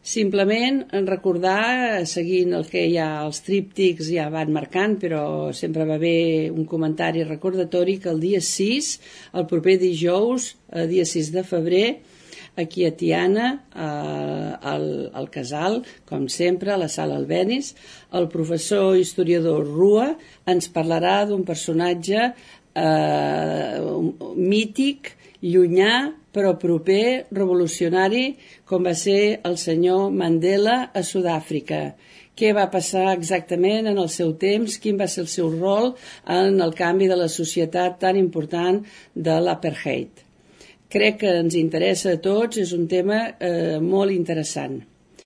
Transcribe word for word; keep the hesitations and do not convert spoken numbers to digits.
Simplement recordar, seguint el que ja els tríptics ja van marcant, però sempre va haver un comentari recordatori que el dia sis, el proper dijous, el dia sis de febrer, aquí a Tiana, eh, al, al Casal, com sempre, a la Sala Albéniz, el professor historiador Rua ens parlarà d'un personatge eh, mític, llunyà, però proper, revolucionari, com va ser el senyor Mandela a Sud-àfrica. Què va passar exactament en el seu temps, quin va ser el seu rol en el canvi de la societat tan important de l'apartheid. Crec que ens interessa a tots, és un tema eh, molt interessant.